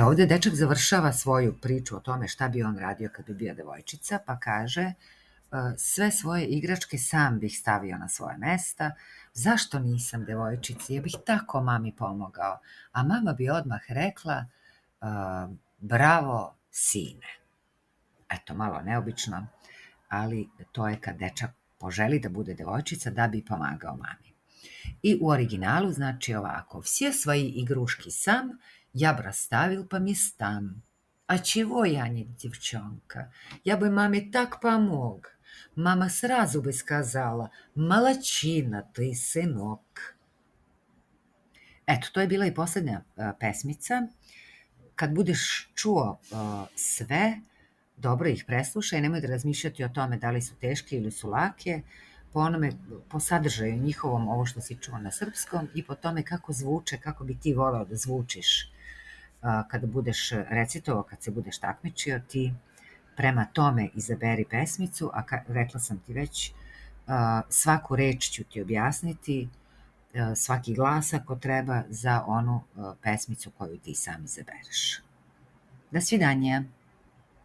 Ovde dečak završava svoju priču o tome šta bi on radio kad bi bio devojčica, pa kaže sve svoje igračke sam bih stavio na svoje mesta, zašto nisam devojčica, ja bih tako mami pomogao, a mama bi odmah rekla bravo sine. Eto, malo neobično, ali to je kad dečak poželi da bude devojčica da bi pomagao mami. I u originalu znači ovako: все свои игрушки сам я б расставил по местам. А чего я не девчонка? Я бы маме так помог. Мама сразу бы сказала: молодчина ты, сынок. Eto, to je bila i poslednja pesmica. Kad budeš čuo sve, dobro ih preslušaj, nemoj da razmišljati o tome da li su teške ili su lake, po sadržaju njihovom, ovo što si čuo na srpskom, i po tome kako zvuče, kako bi ti voleo da zvučiš kada budeš recitovao, kad se budeš takmičio, ti prema tome izaberi pesmicu, a rekla sam ti već, svaku reč ću ti objasniti, svaki glas ako treba za onu pesmicu koju ti sam izabereš. До свидания.